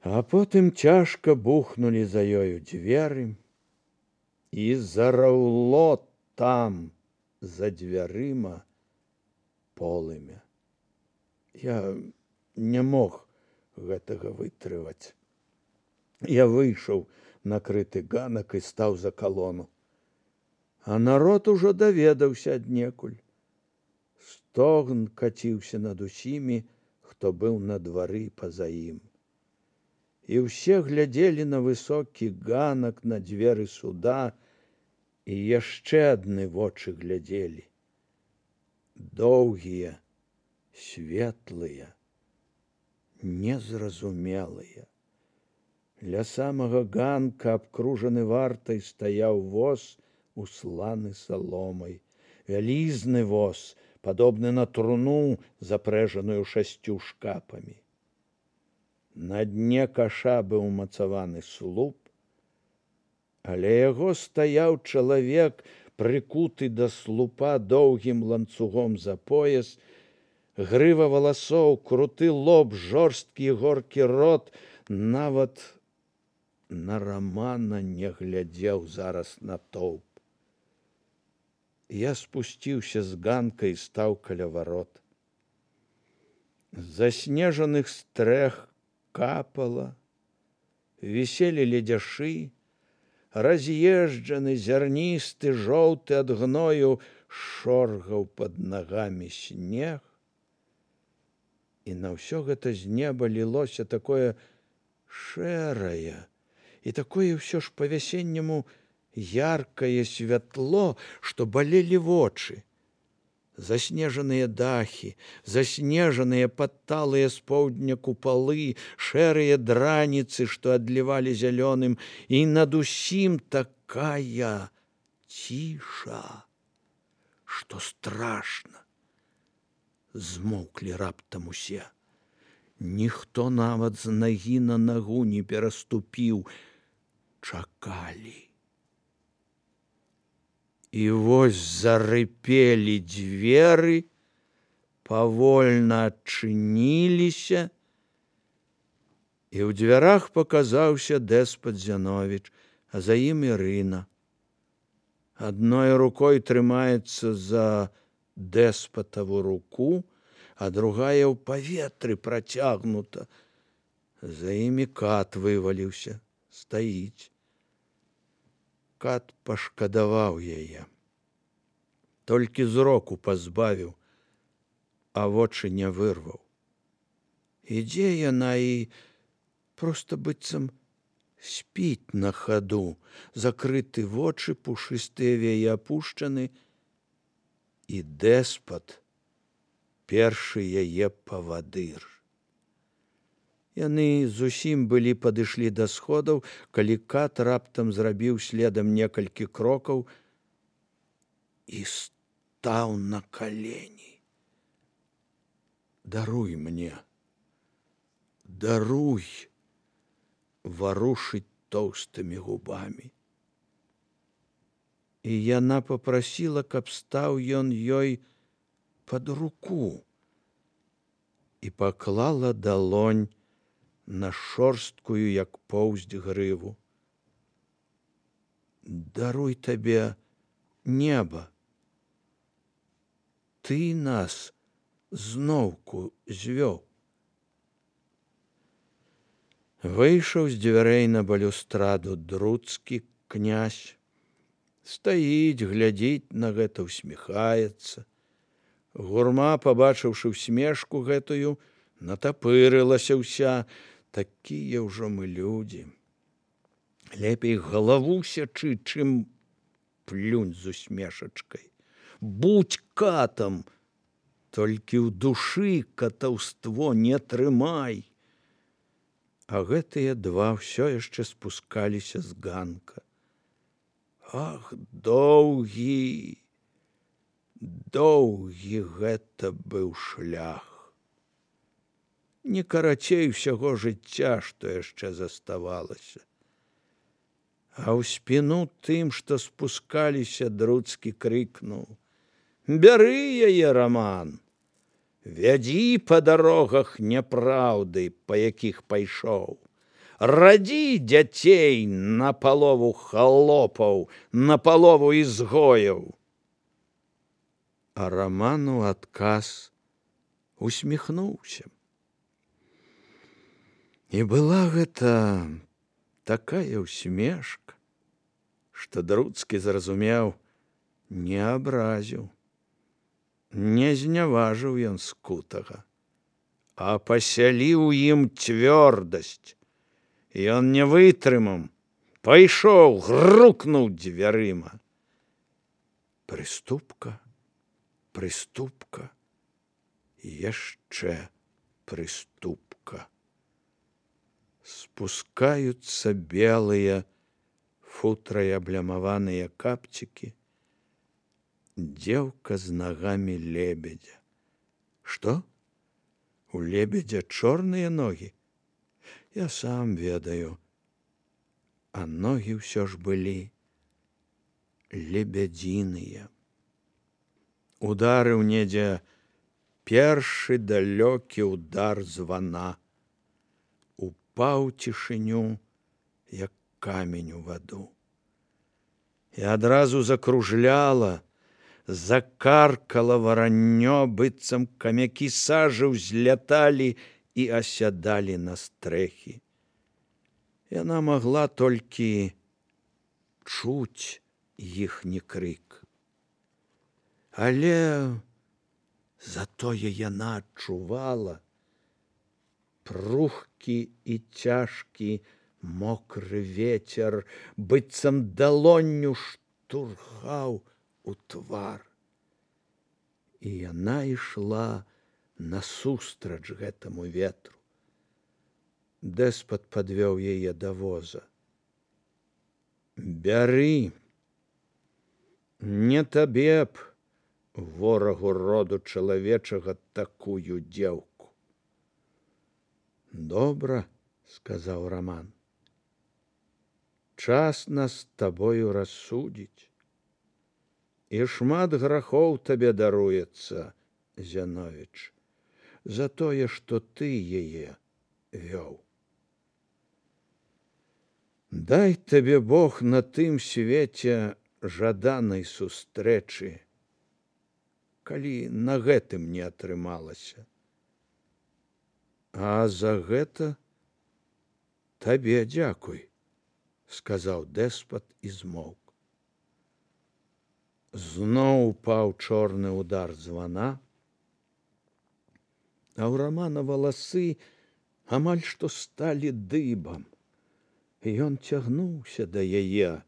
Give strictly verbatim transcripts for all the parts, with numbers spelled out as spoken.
А потым цяжка бухнулі за ёю дзверы, і зараўло там, за дзвярыма, полымя. Я не мог гэтага вытрываць. Я выйшаў на крыты ганак і стаў за калону. А народ ужо даведаўся аднекуль. Стогн каціўся над усімі, хто быў на двары па-за ім. І ўсе глядзелі на высокі ганак, на дзверы суда, і яшчэ адны вочы глядзелі. Доўгія, светлыя, незразумелыя. Ля самага ганка, абкружаны вартай, стаяў воз, усланы саломай. Вялізны воз, падобны на труну, запрэжаную шасцю шкапамі. На дне каша быў умацаваны слуп, але яго стаяў чалавек, прыкуты да слупа доўгім ланцугом за пояс, грыва валасоў, круты лоб, жорсткі горкі рот, нават на Рамана не глядзеў зараз натоўп. Я спусціўся з ганка і стаў каля варот. З заснежаных стрэх капала, віселі ледзяшы, раз'езджаны, зярністы, жоўты ад гною, шоргаў пад нагамі снег. І на ўсё гэта з неба лілося такое шэрае і такое ўсё ж па-вясенняму яркае святло, што балелі вочы. Заснежаныя дахі, заснежаныя падталыя з поўдня купалы, шэрыя драніцы, што адлівалі зялёным, і над усім такая ціша, што страшна. Змоўклі раптам усе. Ніхто нават з нагі на нагу не пераступіў. Чакалі. І вось зарыпелі дзверы, павольна адчыніліся, і ў дзвярах паказаўся дэспат Зяновіч, а за ім Ірына. Адной рукой трымаецца за дэспатаву руку, а другая ў паветры працягнута. За імі кат вываліўся, стаіць. Кат пашкадаваў яе. Толькі зроку пазбавіў, а вочы не вырваў. Ідзе яна і проста быццам спіць на хаду, закрыты вочы, пушыстыя веі апушчаны, і дэспат першы яе павадыр. Яны зусім былі падышлі да сходаў, калі кат раптам зрабіў следам некалькі крокаў і стаў на калені. Даруй мне, даруй, варушыць тоўстымі губамі. І яна папрасіла, каб стаў ён ёй пад руку, і паклала далонь на шорсткую, як поўсць, грыву. Даруй табе неба. Ты нас зноўку звёў. Выйшаў з дзвярэй на балюстраду друцкі князь. Стаіць, глядзіць на гэта, усміхаецца. Гурма, пабачыўшы усмешку гэтую, натапырылася ўся. Такія ўжо мы людзі. Лепей галаву сячы, чым плюнь з усмешачкай. Будь катам, толькі ў душы катаўство не трымай. А гэтыя два ўсё яшчэ спускаліся з ганка. Ах, доўгі, доўгі гэта быў шлях. Не карацей усяго жыцця, што яшчэ заставалася. А ў спіну тым, што спускаліся, друцкі крыкнуў: «Бяры яе, Раман! Вядзі па дарогах няпраўды, па якіх пайшоў! радзі дзяцей на палову халопаў, на палову ізгояў. А Раман у адказ усміхнуўся. І была гэта такая ўсмешка, што Друцкі зразумеў, не абразіў, не зняважыў ён Скутага, а пасяліў ім цвёрдасць. Ён не вытрымаў, пайшоў, грукнуў дзвярыма. Прыступка, прыступка, яшчэ прыступка. Спускаюцца белыя футрай аблямаваныя капцікі, дзеўка з нагамі лебедзя. Што? У лебедзя чорныя ногі? Я сам ведаю. А ногі ўсё ж былі лебядзіныя. Ударыў недзе першы далёкі удар звана. Упаў цішыню, як камень у ваду. І адразу закружляла, закаркала вараннё, быццам камякі сажы ўзляталі і асядалі на стрэхі. Яна магла толькі чуць іхні крык. Але затое яна адчувала прухкі і цяжкі мокры вецер, быццам далонню штурхаў у твар. І яна ішла насустрач гэтаму ветру. Дэспат падвёў яе да воза. Бяры, не табе б, ворагу роду чалавечага, такую дзеўку. Добра, сказаў Раман. Час нас з табою рассудзіць. І шмат грахоў табе даруецца, Зяновіч, за тое, што ты яе вёў. Дай табе Бог на тым свеце жаданай сустрэчы, калі на гэтым не атрымалася. А за гэта табе дзякуй, сказаў дэспат і змоўк. Зноў упаў чорны удар звана, а ў Рамана валасы амаль што сталі дыбам. Ён цягнуўся да яе,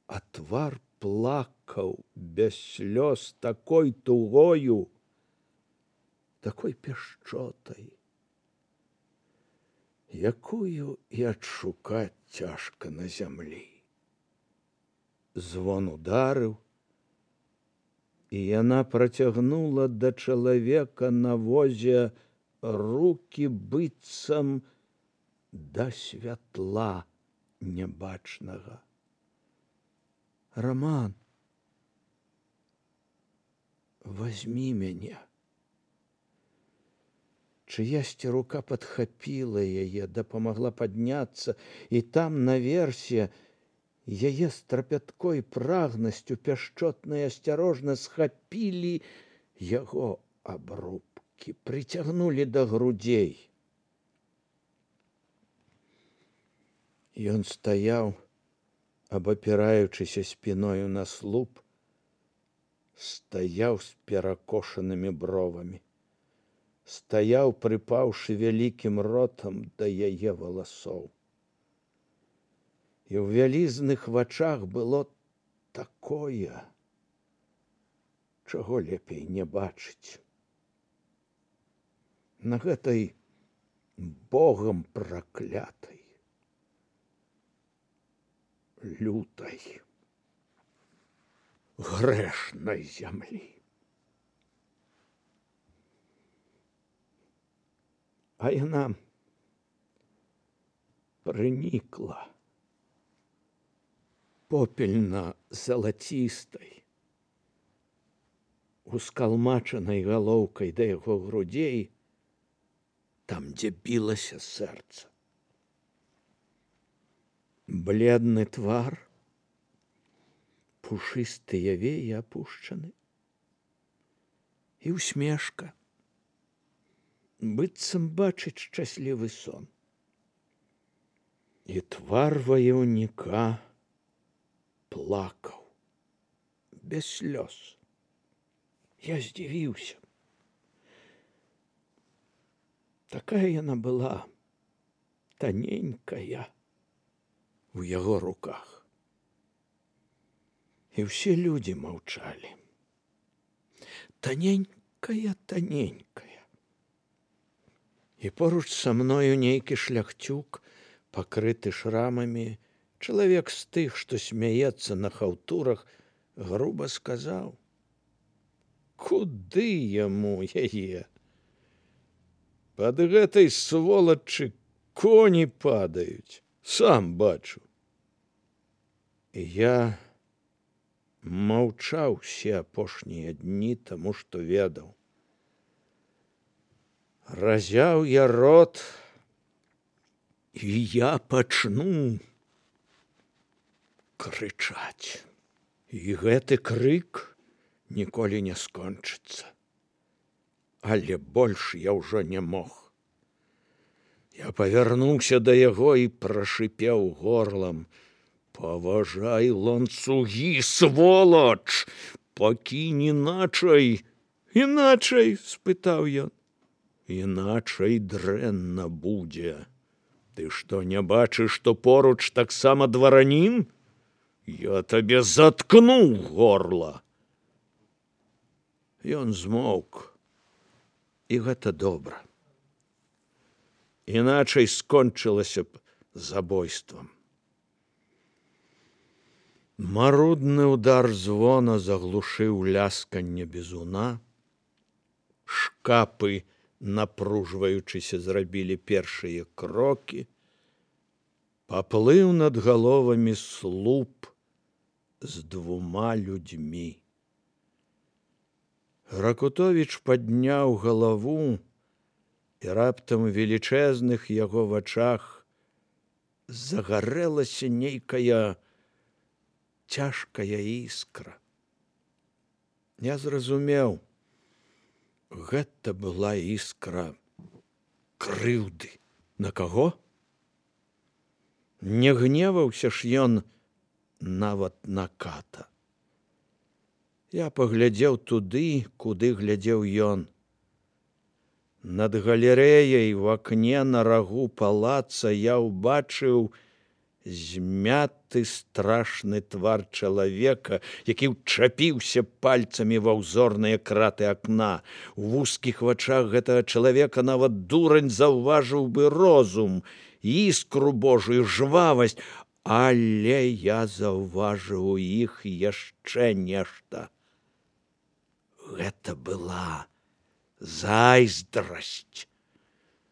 а твар плакаў без слёз такой тугою, такой пяшчотай, якую і адшукаць цяжка на зямлі. Звон ударыў, і яна працягнула да чалавека на возе рукі быццам да святла нябачнага. Раман, возьми мяне. Чыясьці рука падхапіла яе, дапамагла падняцца, і там наверсе яе з трапяткой прагнасцю пяшчотна і асцярожна схапілі яго абрубкі, прыцягнулі да грудзей. Ён стаяў, абапіраючыся спіною на слуп, стаяў з перакошанымі бровамі, стаяў, прыпаўшы вялікім ротам да яе валасоў. І ў вялізных вачах было такое, чаго лепей не бачыць. На гэтай Богам праклятай, лютай, грэшнай зямлі. А яна прынікла попельна-залацістай, ускалмачанай галоўкай да яго грудзей, там, дзе білася сэрца. бледны твар, пушыстыя веі апушчаны, і усмешка, быццам бачыць шчаслівы сон. І твар ваяўніка плакаў, без слёз. Я здзівіўся. Такая яна была, таненькая, у яго руках. І ўсе людзі маўчалі. Таненькая, таненькая. І поруч са мною нейкі шляхцюк, пакрыты шрамамі, чалавек з тых, што смяецца на хаўтурах, груба сказаў: куды яму яе? Пад гэтай сволачы коні падаюць, сам бачу. І я маўчаў усе апошнія дні, таму што ведаў. Разяў я рот, і я пачну крычаць. І гэты крык ніколі не скончыцца. Але больш я ўжо не мог. Я павярнуўся да яго і прашыпеў горлам: паважай ланцугі, сволач! Пакінь іначай! Іначай? Спытаў ён. Іначай дрэнна будзе. Ты што, не бачыш, што поруч таксама дваранін? Я табе заткну горла. Ён змоўк. І гэта добра. Іначай скончылася б забойствам. Марудны удар звона заглушыў лясканне бізуна. Шкапы, напружваючыся, зрабілі першыя крокі. Паплыў над галовамі слуп з двума людзьмі. Ракутовіч падняў галаву, і раптам у велічэзных яго вачах загарэлася нейкая цяжкая іскра. Я зразумеў, гэта была іскра крыўды. На каго? Не гневаўся ж ён нават на ката. Я паглядзеў туды, куды глядзеў ён. Над галерэяй в акне на рагу палаца я ўбачыў змяты страшны твар чалавека, які ўчапіўся пальцамі ва ўзорныя краты акна. У вузкіх вачах гэтага чалавека нават дурань заўважыў бы розум, іскру божую, жвавасць, але я заўважыў у іх яшчэ нешта. Гэта была зайздрасць.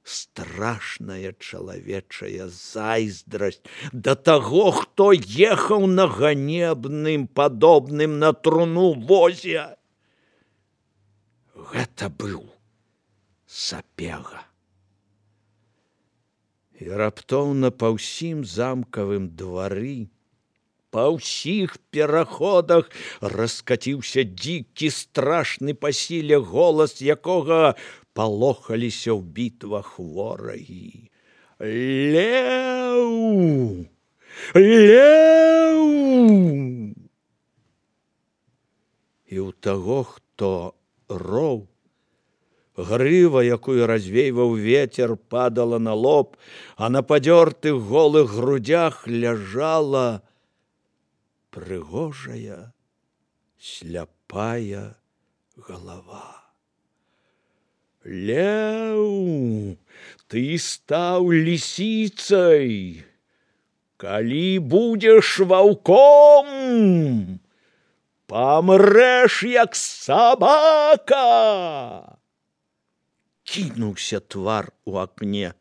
Страшная чалавечая зайздрасць да таго, хто ехаў на ганебным, падобным на труну возе. Гэта быў Сапега. І раптоўна па ўсім замкавым двары, па ўсіх пераходах раскаціўся дзікі, страшны па сіле голас, якога палохаліся ў бітвах ворагі. Леў! Леў! І ў таго, хто роў, грыва, якую развейваў ветер, падала на лоб, а на падзёртых голых грудях ляжала прыгожая, сляпая галава. Леў, ты стаў лісіцай. Калі будзеш ваўком, памрэш, як сабака. Кінуўся твар у акне.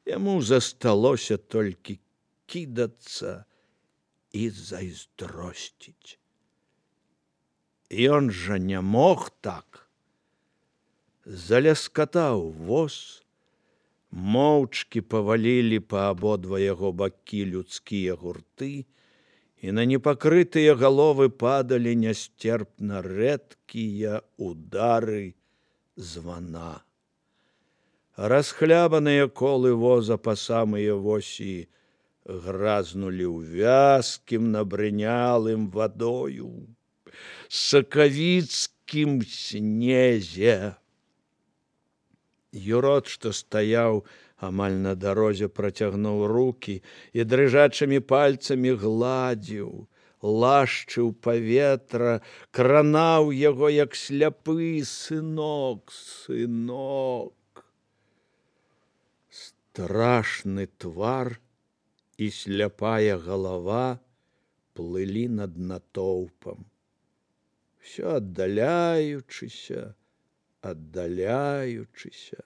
Яму засталося толькі кідацца і зайздросціць. Ён жа не мог так. Заляскатаў воз, Моўчкі павалілі па абодва яго бакі людскія гурты, і на непакрытыя галовы падалі нясцерпна рэдкія удары звана. Расхлябаныя колы воза па самыя восі гразнулі ў вязкім набрынялым вадою сакавіцкім снезе. Юрод, што стаяў амаль на дарозе, працягнуў рукі і дрыжачымі пальцамі гладзіў, лашчыў паветра, кранаў яго, як сляпы: сынок, сынок. Страшны твар і сляпая галава плылі над натоўпам, усё аддаляючыся, аддаляючыся.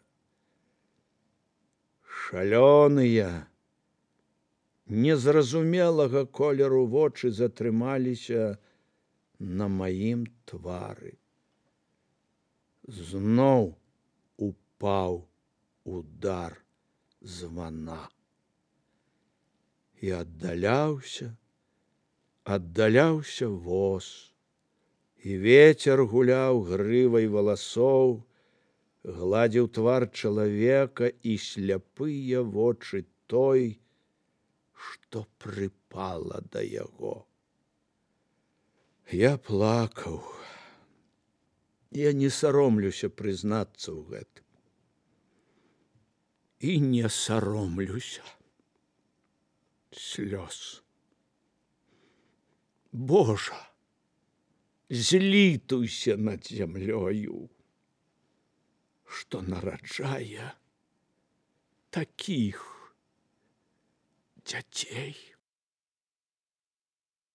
Шалёныя, незразумелага колеру вочы затрымаліся на маім твары. Зноў упаў удар звана. І аддаляўся, аддаляўся воз, і вецер гуляў грывай валасоў, гладзіў твар чалавека і сляпыя вочы той, што прыпала да яго. Я плакаў. Я не саромлюся прызнацца ў гэтым. І не саромлюся слёз. Божа, злітуйся над зямлёю, што нараджае такіх дзяцей.